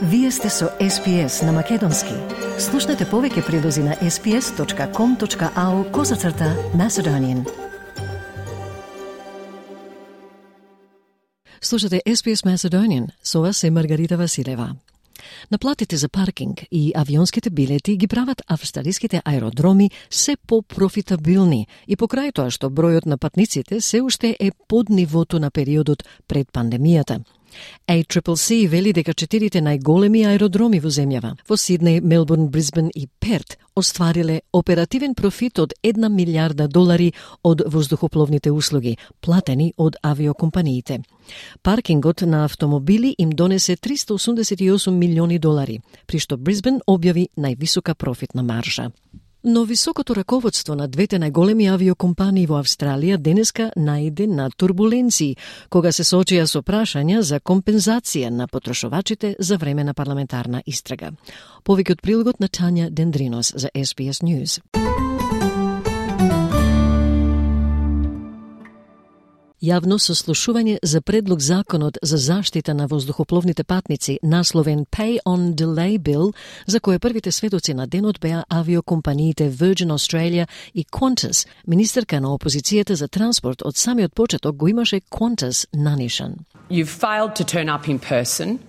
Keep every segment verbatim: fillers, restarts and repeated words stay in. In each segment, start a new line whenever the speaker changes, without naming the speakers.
Вие сте со Ес Пи Ес на Македонски. Слушнете повеќе прилози на ес пи ес точка ком точка ау козацрта Macedonian. Слушате Ес Пи Ес Macedonian, со вас е Маргарита Василева. Наплатите за паркинг и авионските билети ги прават австралиските аеродроми се по-профитабилни и покрај тоа што бројот на патниците се уште е под нивото на периодот пред пандемијата. Ей Си Си Си вели дека четирите најголеми аеродроми во земјава, во Сиднеј, Мелбурн, Брисбен и Перт, оствариле оперативен профит од една милиарда долари од воздухопловните услуги, платени од авиокомпаниите. Паркингот на автомобили им донесе триста осумдесет и осум милиони долари, при што Брисбен објави највисока профитна маржа. Но високото раководство на двете најголеми авиокомпании во Австралија денеска најде на турбуленции, кога се соочија со прашања за компензација на потрошувачите за време на парламентарна истрага. Повеќе од прилогот на Тања Дендринос за Ес Би Ес News. Јавно сослушување за предлог законот за заштита на воздухопловните патници, насловен Pay on Delay Bill, за кој првите сведоци на денот беа авиокомпаниите Virgin Australia и Qantas. Министерка на опозицијата за транспорт од самиот почеток го имаше Qantas нанишан.
You've failed to turn up in person.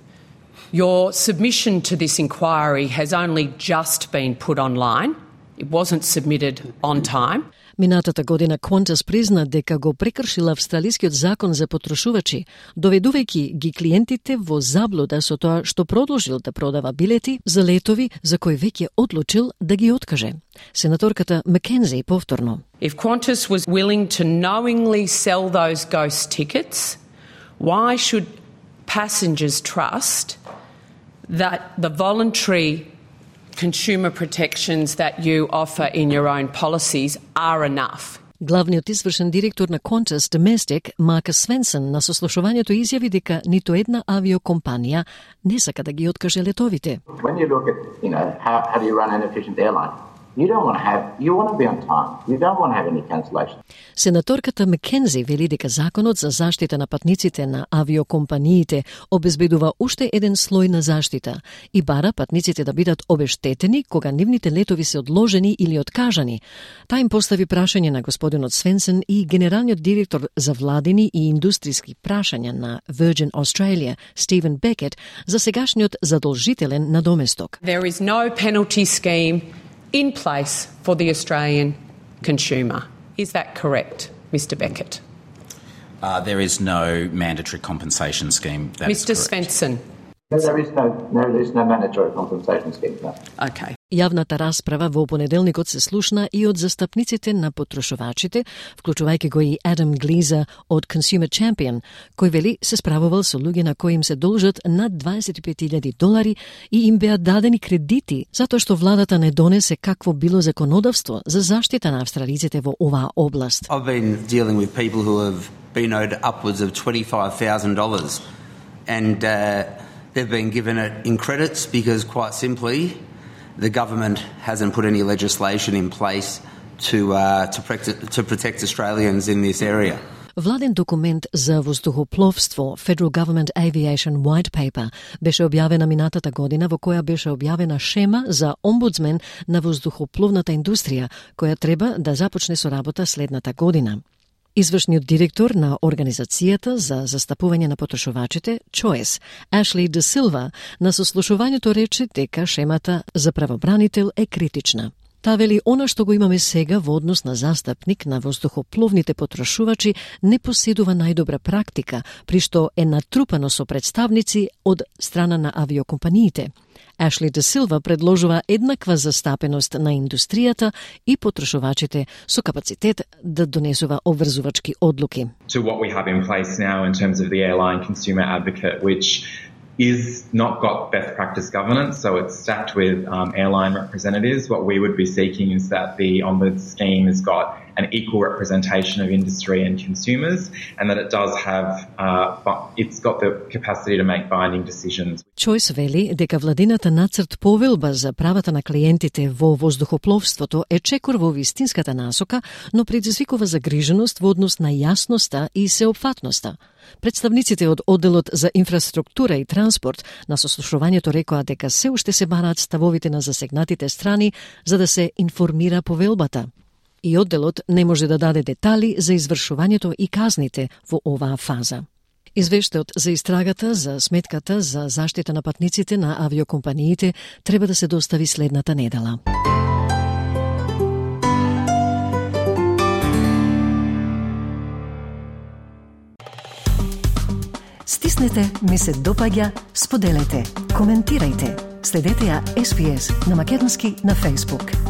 Your submission to this inquiry has only just been put online. It wasn't submitted on time.
Минатата година Qantas призна дека го прекршила австралискиот закон за потрошувачи, доведувајќи ги клиентите во заблуда со тоа што продолжил да продава билети за летови за кои веќе одлучил да ги откаже. Сенаторката Маккензи повторно.
If Qantas was willing to knowingly sell those ghost tickets, why should passengers trust that the voluntary consumer protections that you offer in your own policies are enough?
Главниот извршен директор на Qantas Domestic, Марк Свенсен, на сослушувањето изјави дека ниту една авиокомпанија не сака да ги откаже летовите.
When you look at, you know, how, how do you run an efficient airline? You don't want to have, you want to be on time. You don't want to have any cancellation.
Сенаторката Маккензи вели дека законот за заштита на патниците на авиокомпаниите обезбедува уште еден слој на заштита и бара патниците да бидат обештетени кога нивните летови се одложени или откажани. Та им постави прашање на господинот Свенсен и генералниот директор за владини и индустријски прашања на Virgin Australia, Стивен Бекет, за сегашниот задолжителен надоместок.
There is no penalty scheme in place for the Australian consumer. Is that correct, Mister Beckett?
Uh, there is no mandatory compensation scheme. That
Mister
is correct.
Svensson?
No, there is no, no, there is no mandatory compensation scheme. No.
Okay.
Јавната расправа во понеделникот се слушна и од застапниците на потрошувачите, вклучувајќи го и Адам Глиза од Consumer Champion, кој вели се справувал со луѓе на кои им се должат над дваесет и пет илјади долари и им беа дадени кредити затоа што владата не донесе какво било законодавство за заштита на австралиците во оваа област.
I've been dealing with people who have been owed upwards of twenty-five thousand dollars and uh, they've been given it in credits because quite simply the government hasn't put any legislation in place to uh, to protect to protect Australians in this area.
Владен документ за воздухопловство Federal Government Aviation White Paper беше објавена минатата година, во која беше објавена шема за омбудсмен на воздухопловната индустрија, која треба да започне со работа следната година. Извршниот директор на Организацијата за застапување на потрошувачите, Choice, Ашли Де Силва, на сослушувањето рече дека шемата за правобранител е критична. Та вели она што го имаме сега во однос на застапник на воздухопловните потрошувачи не поседува најдобра практика, при што е натрупано со представници од страна на авиокомпаниите. Ашли Де Силва предложува еднаква застапеност на индустријата и потрошувачите со капацитет да донесува обврзувачки одлуки.
To what we have in place now in terms of the airline consumer advocate, which is not got best practice governance, so it's stacked with um, airline representatives. What we would be seeking is that the ombuds scheme has got an equal representation of industry and consumers, and that it does have, uh, it's got the capacity to make binding decisions.
Choice вели дека владината нацрт повелба за правата на клиентите во воздухопловството е чекор во вистинската насока, но предизвикува загриженост во однос на јасноста и сеопфатноста. Представниците од Одделот за инфраструктура и транспорт на сослушувањето рекоа дека се уште се бараат ставовите на засегнатите страни за да се информира повелбата. И Одделот не може да даде детали за извршувањето и казните во оваа фаза. Извештајот за истрагата за сметката за заштита на патниците на авиокомпаниите треба да се достави следната недела. Стиснете, ми се допаѓа, споделете, коментирајте. Следете ја Ес Би Ес на македонски на Facebook.